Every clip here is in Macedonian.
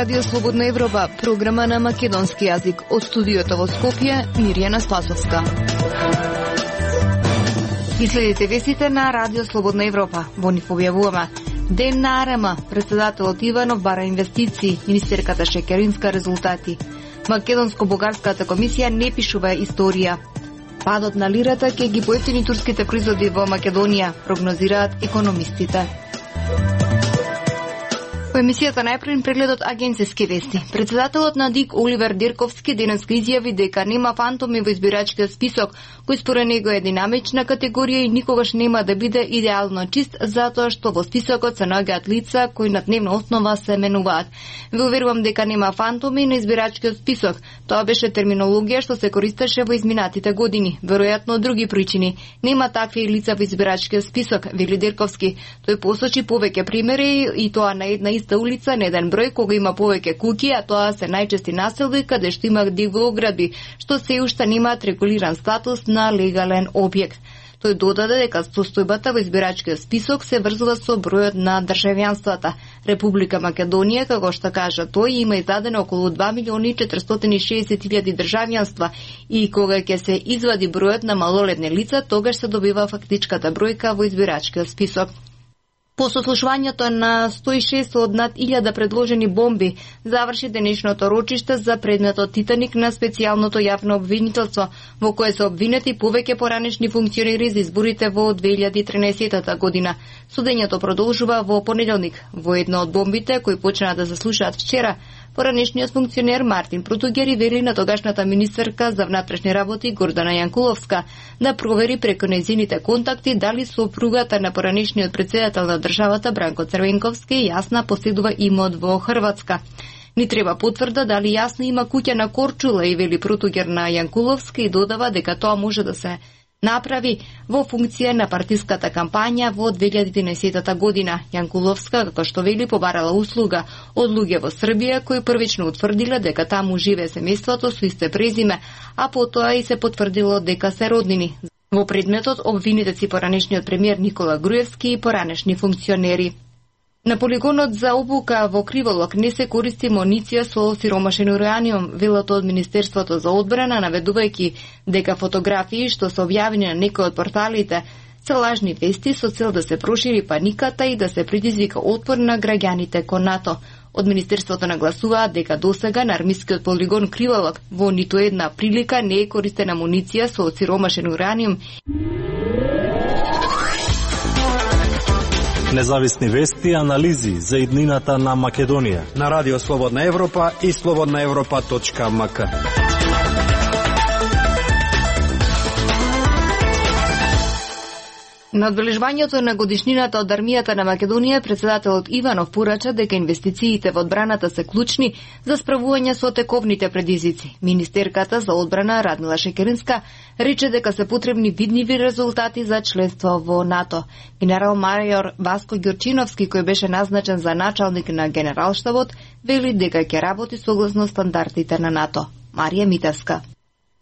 Радио Слободна Европа, програма на македонски јазик. Од студиото во Скопје, Мирјана Спасовска. И следите вестите на Радио Слободна Европа. Во нив објавуваме: Ден на АРМ, председателот Иванов бара инвестиции, министерката Шекеринска резултати. Македонско-бугарската комисија не пишува историја. Падот на лирата ќе ги поевтини турските производи во Македонија, прогнозираат економистите. Во емисијата најпрвен прегледот агенцијски вести. Председателот на ДИК Оливер Дирковски денеска изјави дека нема фантоми во избирачкиот список, кој според него е динамична категорија и никогаш нема да биде идеално чист, затоа што во списокот се наоѓаат лица кои на дневна основа се менуваат. Ве уверувам дека нема фантоми на избирачкиот список. Тоа беше терминологија што се користеше во изминатите години, веројатно од други причини. Нема такви лица во избирачкиот список, вели Дирковски. Тој посочи повеќе примери и тоа на една иста улица, на еден број кога има повеќе куќи, а тоа се најчести населби каде што има диво оградби, што се уште немаат регулиран статус на легален објект. Тој додаде дека состојбата во избирачкиот список се врзува со бројот на државјанствата. Република Македонија, како што кажа тој, има издадено околу 2.460.000 државјанства и кога ќе се извади бројот на малолетни лица, тогаш се добива фактичката бројка во избирачкиот список. По сослушувањето на 106 од над 1000 предложени бомби, заврши денешното рочиште за предметот Титаник на специјалното јавно обвинителство, во кое се обвинети повеќе поранешни функционери за изборите во 2013 година. Судењето продолжува во понеделник. Во едно од бомбите, кои почна да се слушаат вчера, поранешниот функционер Мартин Протугери вели на тогашната министерка за внатрешни работи Гордана Јанкуловска да провери преку нејзините контакти дали сопругата на поранешниот председател на државата Бранко Црвенковски јасна поседува имот во Хрватска. Ни треба потврда дали јасно има куќа на Корчула, и вели Протугер на Јанкуловска и додава дека тоа може да се направи во функција на партиската кампања во 2010 година. Јанкуловска, како што вели, побарала услуга од луѓе во Србија кои првично утврдиле дека таму живее семејството со исто презиме, а потоа и се потврдило дека се роднини. Во предметот обвинетите си поранешниот премиер Никола Груевски и поранешни функционери. На полигонот за обука во Криволок не се користи муниција со сиромашен ураниум, велат од Министерството за одбрана, наведувајќи дека фотографии што се објавени на некои од порталите се лажни вести со цел да се прошири паниката и да се предизвика отпор на граѓаните кон НАТО. Од Министерството нагласуваат дека досега на армискиот полигон Криволок во ниту една прилика не е користена муниција со сиромашен ураниум. Независни вести и анализи за иднината на Македонија на Радио Слободна Европа и slobodnaevropa.mk. На одбележувањето на годишнината од армијата на Македонија, председателот Иванов порача дека инвестициите во одбраната се клучни за справување со тековните предизвици. Министерката за одбрана Радмила Шекеринска рече дека се потребни видливи резултати за членство во НАТО. Генерал мајор Васко Ѓурчиновски, кој беше назначен за началник на Генералштабот, вели дека ќе работи согласно стандардите на НАТО. Марија Митевска.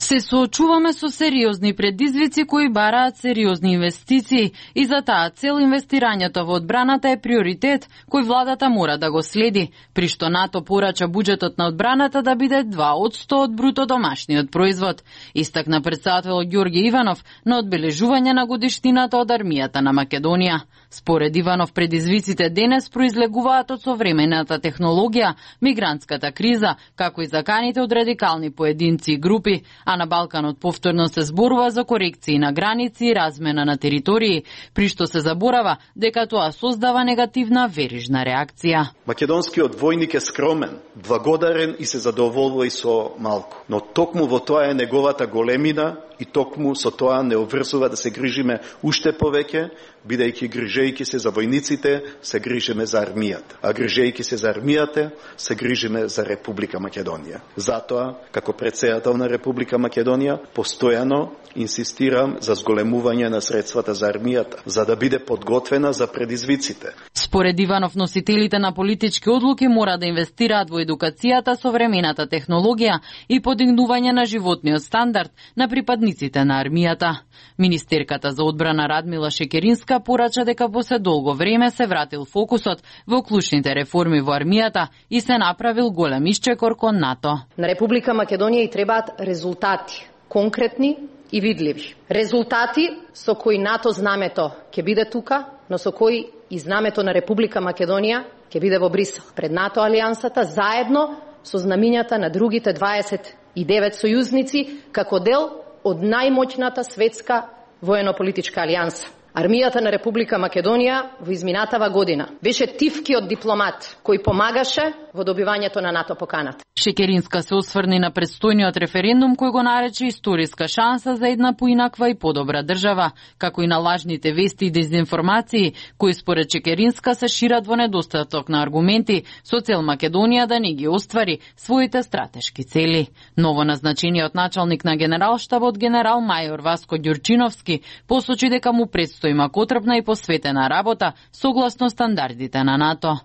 Се соочуваме со сериозни предизвици кои бараат сериозни инвестиции и за таа цел инвестирањето во одбраната е приоритет кој владата мора да го следи, при што НАТО порача буџетот на одбраната да биде 2% од бруто домашниот производ, истакна председател Ѓорѓе Иванов на одбележување на годишнината од армијата на Македонија. Според Иванов, предизвиците денес произлегуваат од современата технологија, мигрантската криза, како и заканите од радикални поединци и групи, а на Балканот повторно се зборува за корекции на граници и размена на територии, при што се заборава дека тоа создава негативна верижна реакција. Македонскиот војник е скромен, благодарен и се задоволува и со малку. Но токму во тоа е неговата големина и токму со тоа не обврзува да се грижиме уште повеќе, бидејќи грижејќи се за војниците, се грижиме за армијата. А грижејќи се за армијата, се грижиме за Република Македонија. Затоа, како председател на Република Македонија, постојано инсистирам за зголемување на средствата за армијата, за да биде подготвена за предизвиците. Според Иванов, носителите на политички одлуки мора да инвестираат во едукацијата, современата технологија и подигнување на животниот стандард на припадниците на армијата. Министерката за одбрана Радмила Шекеринска порача дека после долго време се вратил фокусот во клучните реформи во армијата и се направил голем исчекор кон НАТО. На Република Македонија и требаат резултати, конкретни и видливи. Резултати со кои НАТО знамето ќе биде тука, но со кои и знамето на Република Македонија ќе биде во Брисел. Пред НАТО алијансата заедно со знамињата на другите 29 сојузници како дел од најмоćната светска воено-политичка алијанса. Армијата на Република Македонија во изминатава година беше тивкиот дипломат кој помагаше во добивањето на НАТО поканата. Шекеринска се осврни на предстојниот референдум кој го нарече историска шанса за една поинаква и подобра држава, како и на лажните вести и дезинформации кои според Шекеринска се шират во недостаток на аргументи со цел Македонија да не ги оствари своите стратешки цели. Ново назначениот началник на генералштабот генерал мајор Васко Ѓурчиновски посочи дека му предстои макотрпна и посветена работа согласно стандардите на НАТО.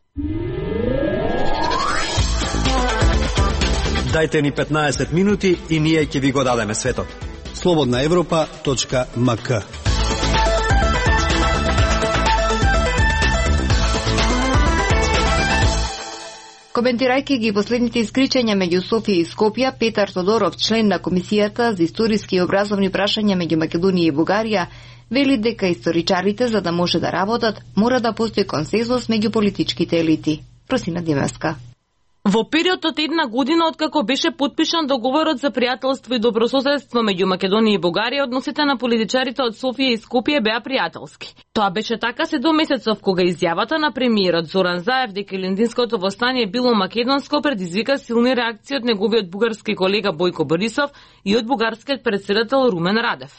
Дајте ни 15 минути и ние ќе ви го дадеме светот. slobodnaevropa.mk. Коментирајќи ги последните искричања меѓу Софија и Скопје, Петар Тодоров, член на Комисијата за историски и образовни прашања меѓу Македонија и Бугарија, вели дека историчарите, за да може да работат, мора да постои консензус меѓу политичките елити. Просина Димевска. Во период од една година откако беше потпишан договорот за пријателство и добрососедство меѓу Македонија и Бугарија, односите на политичарите од Софија и Скопје беа пријателски. Тоа беше така се до месецов кога изјавата на премиерот Зоран Заев дека Илиндинското востание било македонско предизвика силни реакции од неговиот бугарски колега Бојко Борисов и од бугарскиот претседател Румен Радев.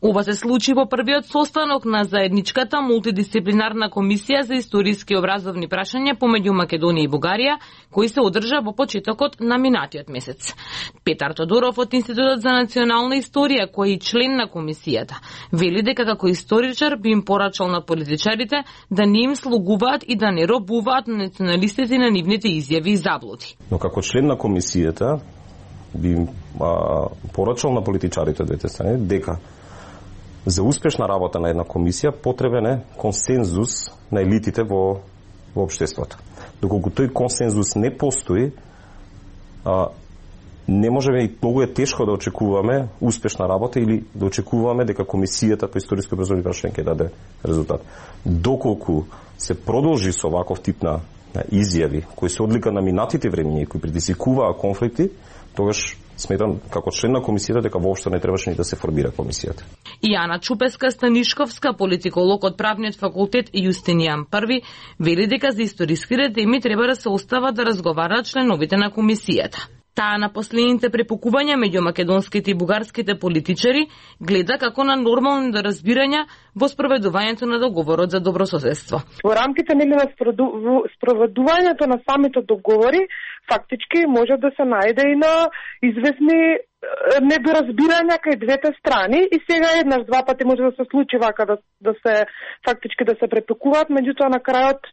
Ова се случи во првиот состанок на заедничката мултидисциплинарна комисија за историски и образовни прашања помеѓу Македонија и Бугарија, кој се одржа во почетокот на минатиот месец. Петар Тодоров од Институтот за национална историја, кој е член на комисијата, вели дека како историчар би им порачал на политичарите да не им слугуваат и да не робуваат на националистите на нивните изјави и заблуди. Но како член на комисијата би им порачал на политичарите двете страни дека за успешна работа на една комисија потребен е консензус на елитите во општеството. Доколку тој консензус не постои, не можеме и многу е тешко да очекуваме успешна работа или да очекуваме дека комисијата по историски образовни прашања ќе даде резултат. Доколку се продолжи со ваков тип на изјави кои се одлика на минатите времиња и кои предизвикуваа конфликти, тогаш сметам како член на комисијата дека воопшто не требаше ни да се формира комисијата. Јана Чупеска-Станишковска, политиколог од правниот факултет Јустинијан I, вели дека за историските теми треба да се остава да разговараат членовите на комисијата. Таа на последните препукувања меѓу македонските и бугарските политичари гледа како на нормални разбирања во спроведувањето на договорот за добрососедство. Во рамките на спроведувањето на самите договори, фактички може да се најде и на известни недоразбирања кај двете страни и сега еднаш два пати може да се случи вака да се фактички да се препекуваат, меѓутоа на крајот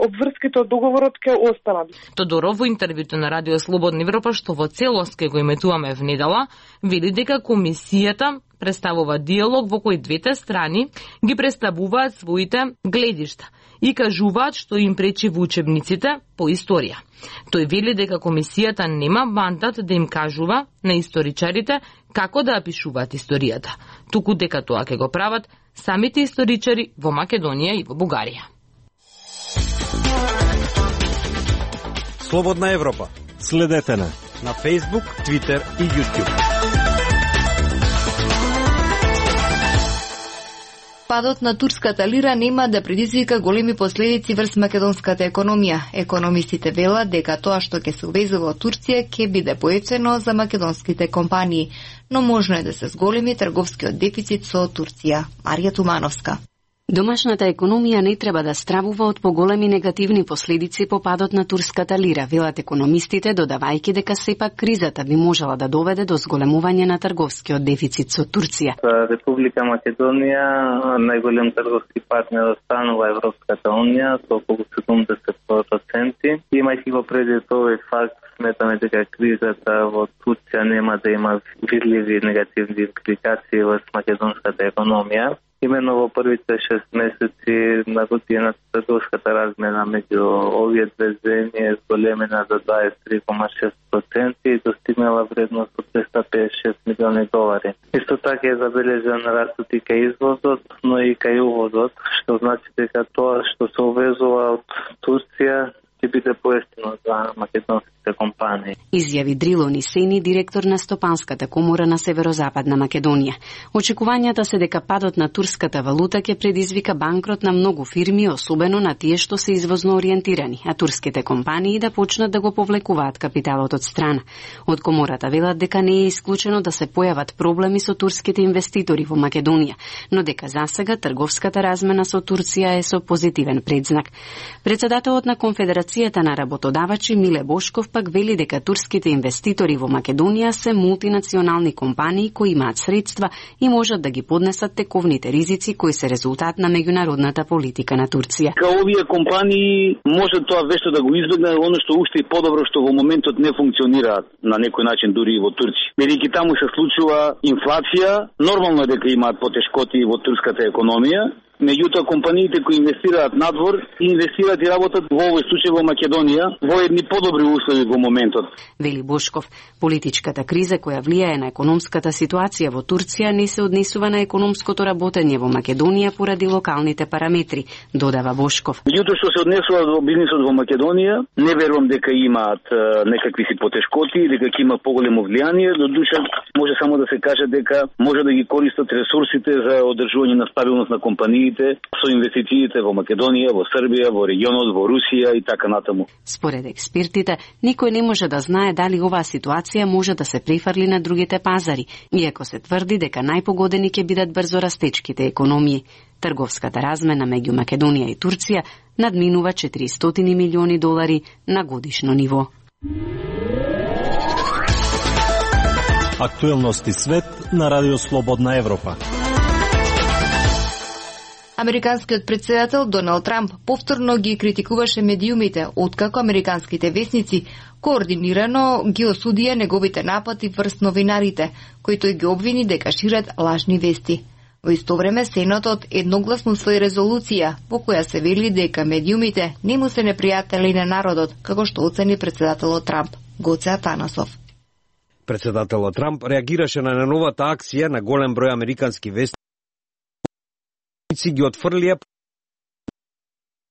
обврските од договорот ќе останат. Тодоров во интервјуто на Радио Слободна Европа, што во целост ќе го иметуваме внедела, вели дека комисијата представува диалог во кој двете страни ги представуваат своите гледишта и кажуваат што им пречи во учебниците по историја. Тој вели дека комисијата нема мандат да им кажува на историчарите како да опишуваат историјата, туку дека тоа ќе го прават самите историчари во Македонија и во Бугарија. Слободна Европа. Следете на Facebook, Twitter и YouTube. Падот на турската лира нема да предизвика големи последици врз македонската економија. Економистите велат дека тоа што ќе се увезува од Турција ќе биде поевтено за македонските компании, но можно е да се зголеми трговскиот дефицит со Турција. Марија Тумановска. Домашната економија не треба да стравува од поголеми негативни последици по падот на турската лира, велат економистите, додавајќи дека сепак кризата би можела да доведе до зголемување на трговскиот дефицит со Турција. Република Македонија најголем трговски партнер останува Европската унија со околу 70%. Имајќи го предвид овој факт, сметаме дека кризата во Турција нема да има видливи негативни импликации во македонската економија. Именно во првите 6 месеци на годината трговската размена меѓу овие две земји е зголемена за 23,6% и достигнала вредност од $256 милиони. Исто така е забележан растот и кај извозот, но и кај увозот, што значи дека тоа што се увезува од Турција ќе биде поевтино за македонските компании. Изјави Дрило Нисени, директор на Стопанската комора на Северозападна Македонија. Очекувањата се дека падот на турската валута ќе предизвика банкрот на многу фирми, особено на тие што се извозно ориентирани, а турските компании да почнат да го повлекуваат капиталот од страна. Од комората велат дека не е исклучено да се појават проблеми со турските инвеститори во Македонија, но дека засега трговската размена со Турција е со позитивен предзнак. Председателот на Конфедерацијата на работодавачи Миле Бошков пак вели дека турските инвеститори во Македонија се мултинационални компании кои имаат средства и можат да ги поднесат тековните ризици кои се резултат на меѓународната политика на Турција. Овие компании може тоа вешто да го избегнат, оно што уште е подобро што во моментот не функционираат на некој начин дури и во Турција. Бидејќи таму се случува инфлација, нормално е дека имаат потешкоти во турската економија. Меѓутоа, компаниите кои инвестираат надвор, инвестираат и работат во овој случај во Македонија во едни подобри услови во моментот. Вели Бошков, политичката криза која влијае на економската ситуација во Турција не се однесува на економското работење во Македонија поради локалните параметри, додава Бошков. Меѓутоа, што се однесува во бизнисот во Македонија, не верувам дека имаат некакви си потешкоти, дека ќе има поголемо влијание, до душа може само да се каже дека може да ги користат ресурсите за одржување на стабилност на компаниите со инвестициите во Македонија, во Србија, во регионот, во Русија и така натаму. Според експертите, никој не може да знае дали оваа ситуација може да се префрли на другите пазари, иако се тврди дека најпогодени ќе бидат брзо растечките економии. Трговската размена меѓу Македонија и Турција надминува $400 милиони на годишно ниво. Актуелности свет на Радио Слободна Европа. Американскиот председател Доналд Трамп повторно ги критикуваше медиумите, откако американските весници координирано ги осудија неговите напади врз новинарите, кои тој ги обвини дека шират лажни вести. Во исто време Сенатот едногласно усвои резолуција во која се вели дека медиумите не му се непријатели на народот, како што оцени председателот Трамп. Гоце Атанасов. Председателот Трамп реагираше на новата акција на голем број американски вестници ги отфрлија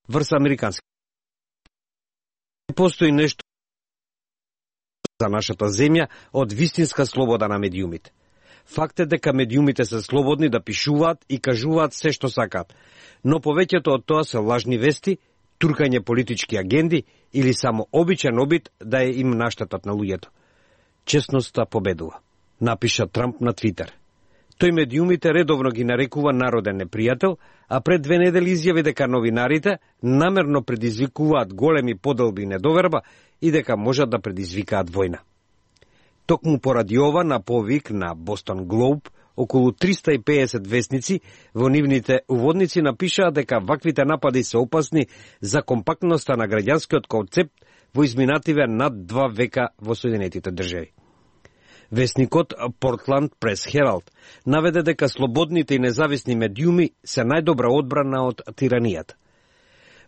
врз американски. Постои нешто за нашата земја од вистинска слобода на медиумите. Факт е дека медиумите се слободни да пишуваат и кажуваат се што сакаат, но повеќето од тоа се лажни вести, туркање политички агенди или само обичен обид да е им наштетат на луѓето. Честноста победува, напиша Трамп на Твитер. Тој медиумите редовно ги нарекува народен непријател, а пред 2 недели изјави дека новинарите намерно предизвикуваат големи поделби и недоверба и дека можат да предизвикаат војна. Токму поради ова, на повик на Бостон Глоб, околу 350 вестници во нивните уводници напишаа дека ваквите напади се опасни за компактноста на граѓанскиот концепт во изминативе над 2 века во Соединетите држави. Весникот Портланд Прес Хералд наведе дека слободните и независни медиуми се најдобра одбрана од тиранијата.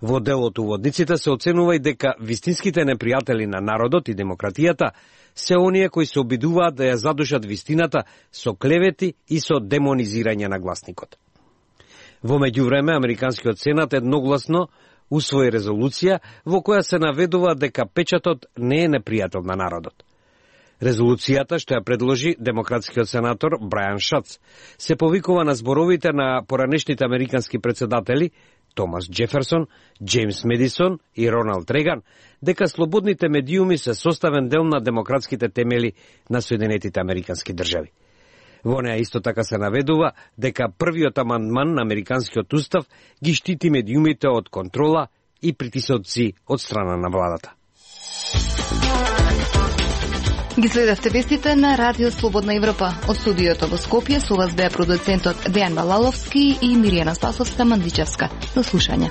Во дел од уводниците се оценува и дека вистинските непријатели на народот и демократијата се оние кои се обидуваат да ја задушат вистината со клевети и со демонизирање на гласникот. Во меѓувреме, Американскиот сенат едногласно усвои резолуција во која се наведува дека печатот не е непријател на народот. Резолуцијата, што ја предложи демократскиот сенатор Брајан Шац, се повикува на зборовите на поранешните американски председатели Томас Джеферсон, Джеймс Медисон и Роналд Реган, дека слободните медиуми се составен дел на демократските темели на Соединетите американски држави. Во неа исто така се наведува дека првиот амандман на Американскиот устав ги штити медиумите од контрола и притисоци од страна на владата. Ги следевте вестите на Радио Слободна Европа. Од студиото во Скопје со вас беа продуцентот Дејан Балаловски и Миријана Спасовска Мандичевска. До слушање.